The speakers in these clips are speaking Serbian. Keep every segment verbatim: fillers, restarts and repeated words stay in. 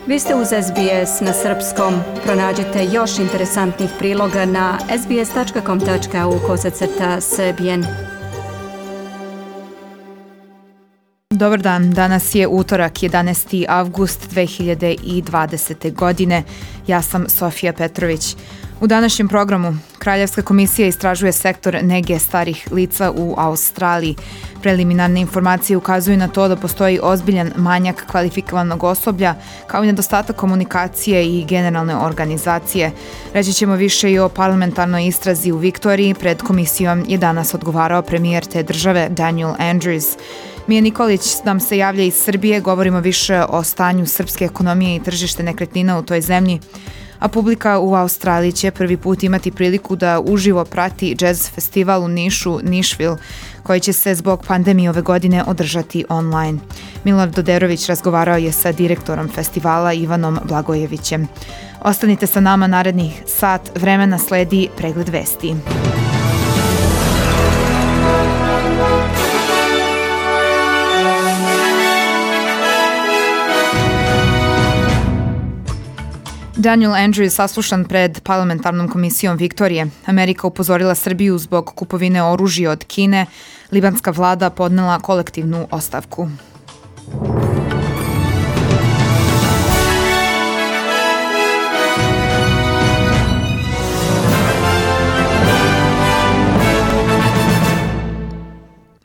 Vi ste uz S B S na srpskom. Pronađite još interesantnih priloga na sbs.com.au kosacrta srbijen. Dobar dan, danas je utorak, jedanaesti avgust dve hiljade dvadesete. godine. Ja sam Sofija Petrović. U današnjem programu Kraljevska komisija istražuje sektor nege starih lica u Australiji. Preliminarne informacije ukazuju na to da postoji ozbiljan manjak kvalifikovanog osoblja, kao i nedostatak komunikacije i generalne organizacije. Reći ćemo više i o parlamentarnoj istrazi u Viktoriji. Pred komisijom je danas odgovarao premijer te države Daniel Andrews. Mija Nikolić nam se javlja iz Srbije, govorimo više o stanju srpske ekonomije i tržište nekretnina u toj zemlji. A publika u Australiji će prvi put imati priliku da uživo prati jazz festival u Nišu, Nišvil, koji će se zbog pandemije ove godine održati online. Milorad Doderović razgovarao je sa direktorom festivala Ivanom Blagojevićem. Ostanite sa nama narednih sat vremena, sledi pregled vesti. Daniel Andrews saslušan pred parlamentarnom komisijom Viktorije. Amerika upozorila Srbiju zbog kupovine oružja od Kine. Libanska vlada podnela kolektivnu ostavku.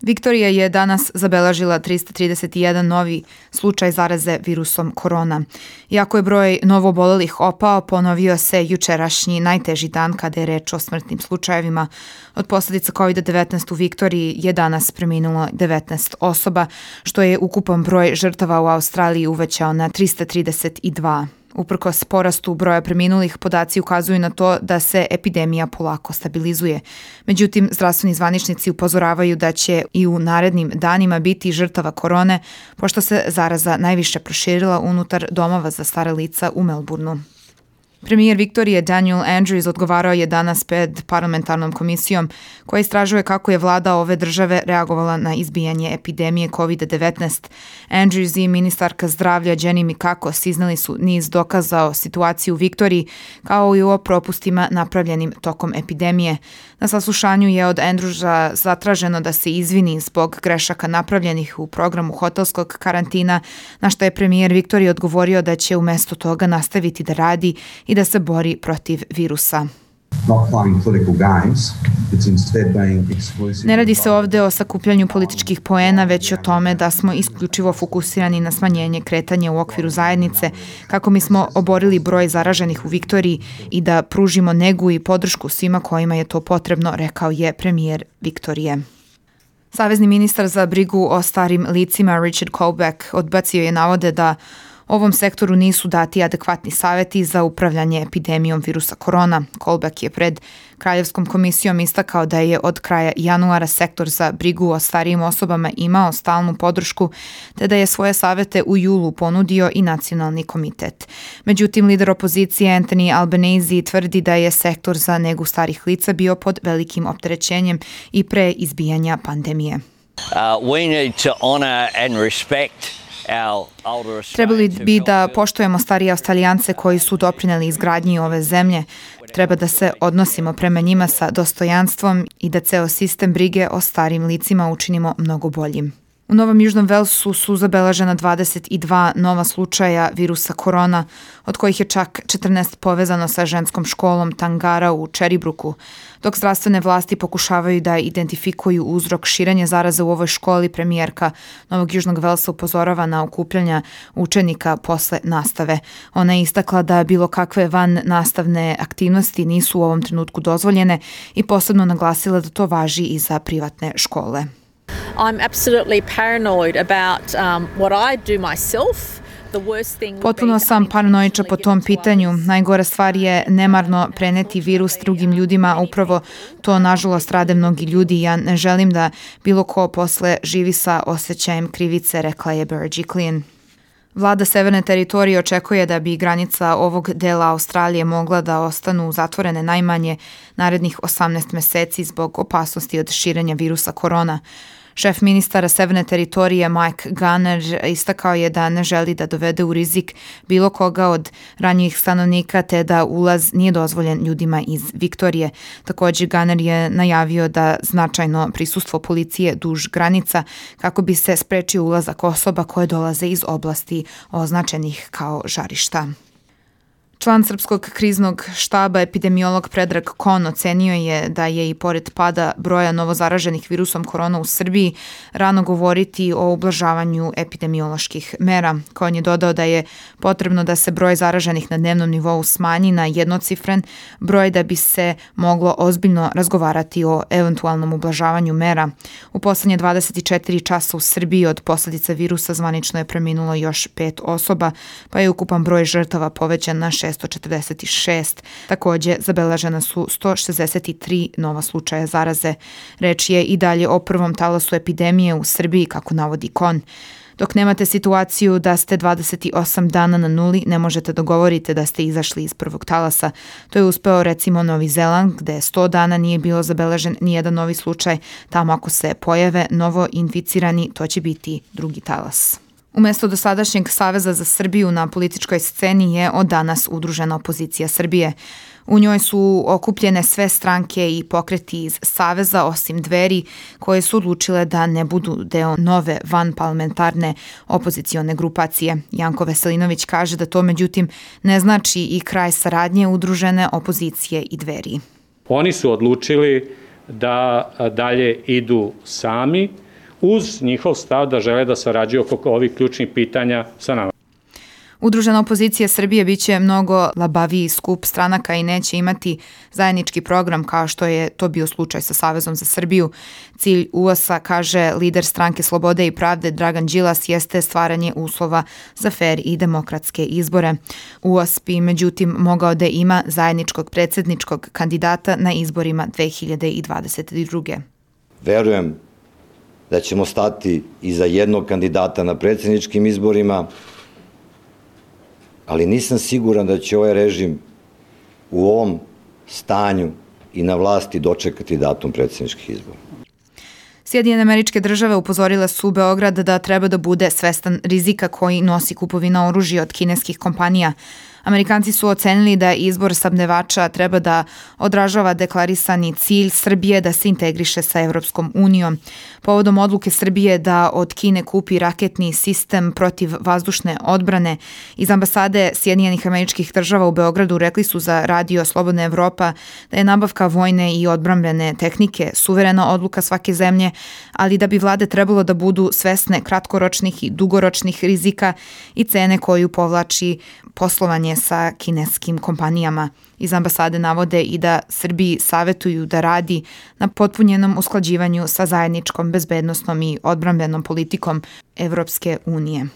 Viktorija je danas zabeležila trista trideset jedan novi slučaj zaraze virusom korona. Iako je broj novoobolelih opao, ponovio se jučerašnji najteži dan kada je reč o smrtnim slučajevima. Od posljedica kovid devetnaest u Viktoriji je danas preminulo devetnaest osoba, što je ukupan broj žrtava u Australiji uvećao na trista trideset dva. Uprkos porastu broja preminulih, podaci ukazuju na to da se epidemija polako stabilizuje. Međutim, zdravstveni zvaničnici upozoravaju da će i u narednim danima biti žrtava korone, pošto se zaraza najviše proširila unutar domova za stara lica u Melbourneu. Premijer Viktorije Daniel Andrews odgovarao je danas pred parlamentarnom komisijom koja istražuje kako je vlada ove države reagovala na izbijanje epidemije kovid devetnaest. Andrews i ministarka zdravlja Jenny Mikakos izneli su niz dokaza o situaciji u Viktoriji, kao i o propustima napravljenim tokom epidemije. Na saslušanju je od Andrewsa zatraženo da se izvini zbog grešaka napravljenih u programu hotelskog karantina, na što je premijer Viktorije odgovorio da će umjesto toga nastaviti da radi i da se bori protiv virusa. Ne radi se ovdje o sakupljanju političkih poena, već o tome da smo isključivo fokusirani na smanjenje kretanja u okviru zajednice, kako mi smo oborili broj zaraženih u Viktoriji i da pružimo negu i podršku svima kojima je to potrebno, rekao je premijer Viktorije. Savezni ministar za brigu o starim licima Richard Colbeck odbacio je navode da ovom sektoru nisu dati adekvatni savjeti za upravljanje epidemijom virusa korona. Colbeck je pred Kraljevskom komisijom istakao da je od kraja januara sektor za brigu o starijim osobama imao stalnu podršku, te da je svoje savjete u julu ponudio i nacionalni komitet. Međutim, lider opozicije Anthony Albanese tvrdi da je sektor za negu starih lica bio pod velikim opterećenjem i pre izbijanja pandemije. Uh, we need to honor and respect. Trebali bi da poštujemo starije Australijance koji su doprineli izgradnji ove zemlje. Treba da se odnosimo prema njima sa dostojanstvom i da ceo sistem brige o starim licima učinimo mnogo boljim. U Novom Južnom Velsu su zabeležena dvadeset dva nova slučaja virusa korona, od kojih je čak četrnaest povezano sa ženskom školom Tangara u Cherrybrookeu. Dok zdravstvene vlasti pokušavaju da identifikuju uzrok širenja zaraze u ovoj školi, premijerka Novog Južnog Velsa upozorava na okupljanja učenika posle nastave. Ona je istakla da bilo kakve van nastavne aktivnosti nisu u ovom trenutku dozvoljene i posebno naglasila da to važi i za privatne škole. I'm absolutely paranoid about um, what I do myself. Potpuno sam paranoiča po tom pitanju. Najgora stvar je nemarno preneti virus drugim ljudima, a upravo to nažalost rade mnogi ljudi. Ja ne želim da bilo ko posle živi sa osjećajem krivice, rekla je Berejiklian. Vlada Severne teritorije očekuje da bi granica ovog dela Australije mogla da ostanu zatvorene najmanje narednih osamnaest meseci zbog opasnosti od širenja virusa korona. Šef ministara Severne teritorije Mike Gunner istakao je da ne želi da dovede u rizik bilo koga od ranjivih stanovnika te da ulaz nije dozvoljen ljudima iz Viktorije. Također Gunner je najavio da značajno prisustvo policije duž granica kako bi se sprečio ulazak osoba koje dolaze iz oblasti označenih kao žarišta. Član Srpskog kriznog štaba, epidemiolog Predrag Kon, ocenio je da je i pored pada broja novozaraženih virusom korona u Srbiji rano govoriti o ublažavanju epidemioloških mera. Kon je dodao da je potrebno da se broj zaraženih na dnevnom nivou smanji na jednocifren broj da bi se moglo ozbiljno razgovarati o eventualnom ublažavanju mera. U poslednje dvadeset četiri časa u Srbiji od posljedica virusa zvanično je preminulo još pet osoba, pa je ukupan broj žrtava povećan na šesto četrdeset šest. Također, zabeležena su sto šezdeset tri nova slučaja zaraze. Reč je i dalje o prvom talasu epidemije u Srbiji, kako navodi Kon. Dok nemate situaciju da ste dvadeset osam dana na nuli, ne možete da govorite da ste izašli iz prvog talasa. To je uspeo recimo Novi Zeland, gde sto dana nije bilo zabeležen nijedan novi slučaj. Tamo ako se pojave novo inficirani, to će biti drugi talas. Umesto dosadašnjeg Saveza za Srbiju na političkoj sceni je od danas udružena opozicija Srbije. U njoj su okupljene sve stranke i pokreti iz Saveza, osim Dveri, koje su odlučile da ne budu deo nove vanparlamentarne opozicione grupacije. Janko Veselinović kaže da to međutim ne znači i kraj saradnje udružene opozicije i Dveri. Oni su odlučili da dalje idu sami, uz njihov stav da žele da sarađuju oko ovih ključnih pitanja sa nama. Udružena opozicija Srbije biće mnogo labaviji skup stranaka i neće imati zajednički program kao što je to bio slučaj sa Savezom za Srbiju. Cilj U A S-a, kaže lider stranke Slobode i pravde Dragan Đilas, jeste stvaranje uslova za fer i demokratske izbore. U A S bi međutim mogao da ima zajedničkog predsjedničkog kandidata na izborima dve hiljade dvadeset druge. Verujem da ćemo stati iza jednog kandidata na predsjedničkim izborima, ali nisam siguran da će ovaj režim u ovom stanju i na vlasti dočekati datum predsjedničkih izbora. Sjedinjene Američke Države upozorile su Beograd da treba da bude svestan rizika koji nosi kupovina oružja od kineskih kompanija. Amerikanci su ocenili da izbor snabdevača treba da odražava deklarisani cilj Srbije da se integriše sa Evropskom unijom. Povodom odluke Srbije da od Kine kupi raketni sistem protiv vazdušne odbrane, iz ambasade Sjedinjenih Američkih Država u Beogradu rekli su za Radio Slobodna Evropa da je nabavka vojne i odbrambene tehnike suverena odluka svake zemlje, ali da bi vlade trebalo da budu svesne kratkoročnih i dugoročnih rizika i cene koju povlači poslovanje sa kineskim kompanijama. Iz ambasade navode i da Srbiji savetuju da radi na potpunjenom usklađivanju sa zajedničkom bezbednosnom i odbrambenom politikom Evropske unije.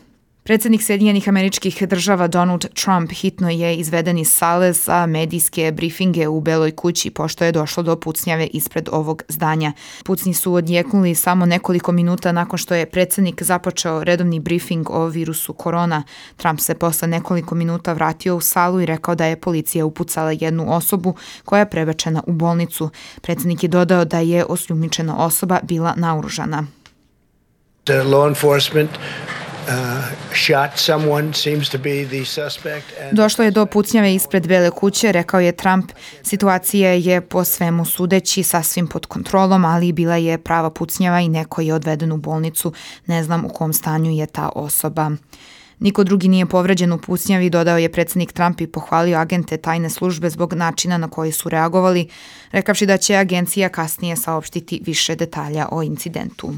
Predsjednik Sjedinjenih Američkih Država Donald Trump hitno je izveden iz sale za medijske brifinge u Beloj kući pošto je došlo do pucnjave ispred ovog zdanja. Pucnji su odjeknuli samo nekoliko minuta nakon što je predsjednik započeo redovni brifing o virusu korona. Trump se posle nekoliko minuta vratio u salu i rekao da je policija upucala jednu osobu koja je prebačena u bolnicu. Predsjednik je dodao da je osumnjičena osoba bila naoružana. The law enforcement Uh, shot someone, seems to be the suspect. And Došlo je do pucnjave ispred Bele kuće, rekao je Trump. Situacija je po svemu sudeći sasvim pod kontrolom, ali bila je prava pucnjava i neko je odveden u bolnicu. Ne znam u kom stanju je ta osoba. Niko drugi nije povređen u pucnjavi, dodao je predsjednik Trump i pohvalio agente tajne službe zbog načina na koji su reagovali, rekavši da će agencija kasnije saopštiti više detalja o incidentu.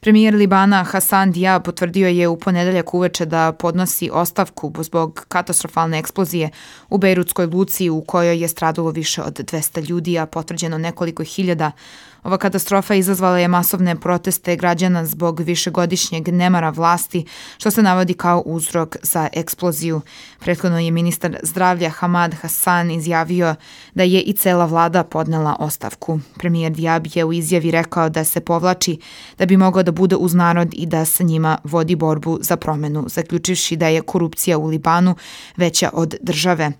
Premijer Libana Hasan Diab potvrdio je u ponedeljak uveče da podnosi ostavku zbog katastrofalne eksplozije u Bejrutskoj luci u kojoj je stradalo više od dvesta ljudi, a potvrđeno nekoliko hiljada. Ova katastrofa izazvala je masovne proteste građana zbog višegodišnjeg nemara vlasti, što se navodi kao uzrok za eksploziju. Prethodno je ministar zdravlja Hamad Hassan izjavio da je i cela vlada podnela ostavku. Premijer Diab je u izjavi rekao da se povlači da bi mogao da bude uz narod i da sa njima vodi borbu za promenu, zaključivši da je korupcija u Libanu veća od države.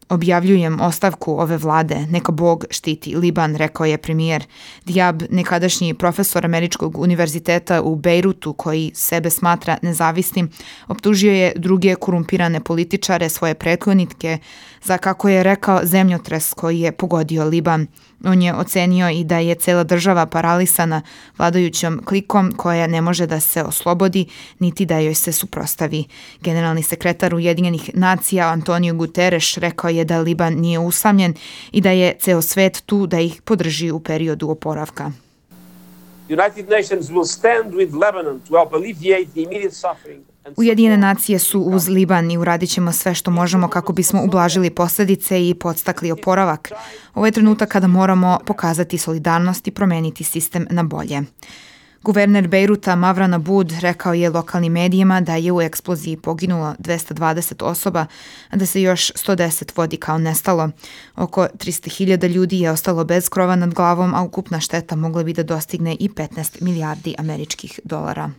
Objavljujem ostavku ove vlade, neka Bog štiti Liban, rekao je premijer. Diab, nekadašnji profesor Američkog univerziteta u Bejrutu koji sebe smatra nezavisnim, optužio je druge korumpirane političare, svoje prethodnike, za, kako je rekao, zemljotres koji je pogodio Liban. On je ocenio i da je cela država paralisana vladajućom klikom koja ne može da se oslobodi niti da joj se suprostavi. Generalni sekretar Ujedinjenih nacija Antonio Guterres rekao je da Liban nije usamljen i da je ceo svet tu da ih podrži u periodu oporavka. United Nations will stand with Lebanon to help alleviate the immediate suffering. Ujedinjene nacije su uz Liban i uradit ćemo sve što možemo kako bismo ublažili posljedice i podstakli oporavak. Ovo je trenutak kada moramo pokazati solidarnost i promeniti sistem na bolje. Guverner Bejruta Mavran Aboud rekao je lokalnim medijima da je u eksploziji poginulo dvesta dvadeset osoba, a da se još sto deset vodi kao nestalo. Oko trista hiljada ljudi je ostalo bez krova nad glavom, a ukupna šteta mogla bi da dostigne i petnaest milijardi američkih dolara.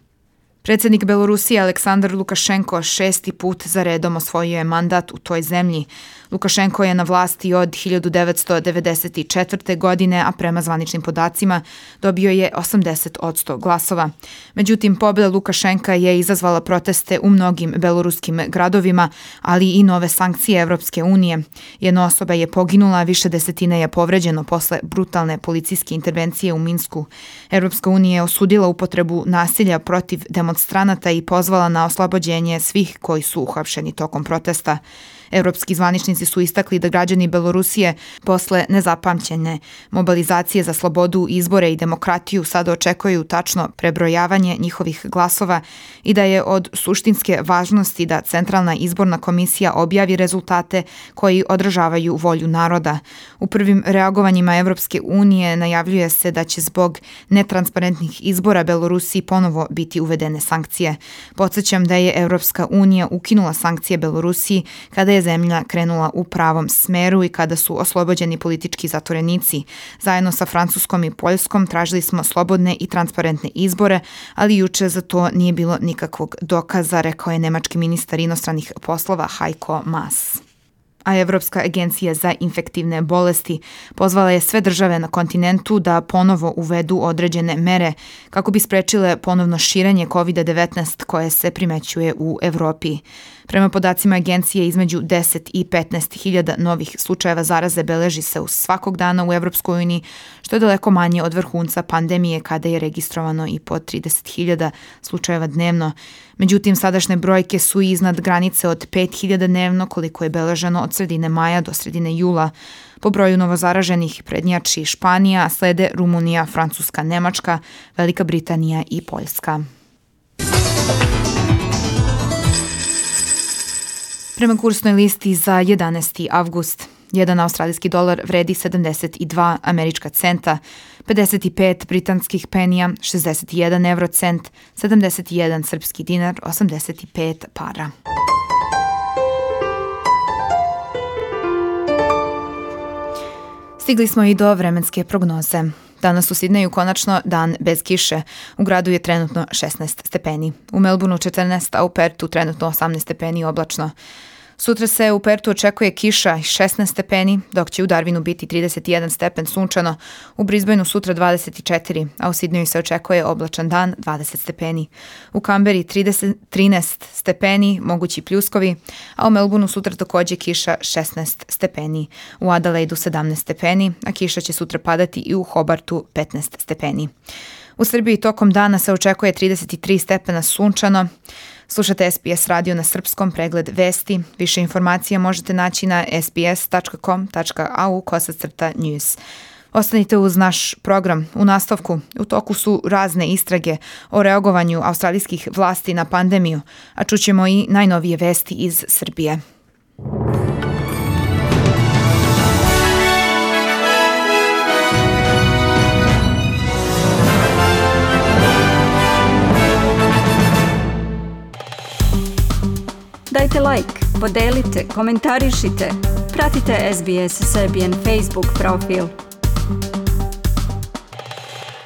Predsjednik Belorusije Aleksandar Lukašenko šesti put za redom osvojio je mandat u toj zemlji. Lukašenko je na vlasti od hiljadu devetsto devedeset četvrte. godine, a prema zvaničnim podacima dobio je osamdeset posto glasova. Međutim, pobjeda Lukašenka je izazvala proteste u mnogim beloruskim gradovima, ali i nove sankcije Evropske unije. Jedna osoba je poginula, više desetine je povređeno posle brutalne policijske intervencije u Minsku. Evropska unija je osudila upotrebu nasilja protiv demonstranata i pozvala na oslobođenje svih koji su uhapšeni tokom protesta. Evropski zvaničnici su istakli da građani Belorusije posle nezapamćene mobilizacije za slobodu, izbore i demokratiju sada očekuju tačno prebrojavanje njihovih glasova i da je od suštinske važnosti da Centralna izborna komisija objavi rezultate koji odražavaju volju naroda. U prvim reagovanjima Evropske unije najavljuje se da će zbog netransparentnih izbora Belorusiji ponovo biti uvedene sankcije. Podsjećam da je Evropska unija ukinula sankcije Belorusiji kada je zemlja krenula u pravom smeru i kada su oslobođeni politički zatvorenici. Zajedno sa Francuskom i Poljskom tražili smo slobodne i transparentne izbore, ali juče za to nije bilo nikakvog dokaza, rekao je nemački ministar inostranih poslova Heiko Maas. A Evropska agencija za infektivne bolesti pozvala je sve države na kontinentu da ponovo uvedu određene mere kako bi sprečile ponovno širenje kovid devetnaest koje se primećuje u Evropi. Prema podacima agencije, između deset i petnaest hiljada novih slučajeva zaraze beleži se u svakog dana u Evropskoj uniji, što je daleko manje od vrhunca pandemije kada je registrovano i po trideset hiljada slučajeva dnevno. Međutim, sadašnje brojke su iznad granice od pet hiljada dnevno, koliko je beleženo od sredine maja do sredine jula. Po broju novozaraženih prednjači Španija, slede Rumunija, Francuska, Nemačka, Velika Britanija i Poljska. Prema kursnoj listi za jedanaesti avgust, jedan australijski dolar vredi sedamdeset dva američka centa, pedeset pet britanskih penija, šezdeset jedan evrocent, sedamdeset jedan srpski dinar, osamdeset pet para. Stigli smo i do vremenske prognoze. Danas u Sidneju konačno dan bez kiše. U gradu je trenutno šesnaest stepeni. U Melbourneu četrnaest, a u Pertu trenutno osamnaest stepeni oblačno. Sutra se u Pertu očekuje kiša i šesnaest stepeni, dok će u Darwinu biti trideset jedan stepen sunčano, u Brisbaneu sutra dvadeset četiri, a u Sidneju se očekuje oblačan dan dvadeset stepeni. U Kamberi trideset, trinaest stepeni, mogući pljuskovi, a u Melbourneu sutra također kiša šesnaest stepeni. U Adelaidu sedamnaest stepeni, a kiša će sutra padati i u Hobartu petnaest stepeni. U Srbiji tokom dana se očekuje trideset tri stepena sunčano. Slušate S B S radio na srpskom, pregled vesti. Više informacija možete naći na s b s tačka com tačka a u kosacrta news. Ostanite uz naš program. U nastavku, u toku su razne istrage o reagovanju australijskih vlasti na pandemiju, a čućemo i najnovije vesti iz Srbije. Dajte like, podelite, komentarišite, pratite S B S Serbian Facebook profil.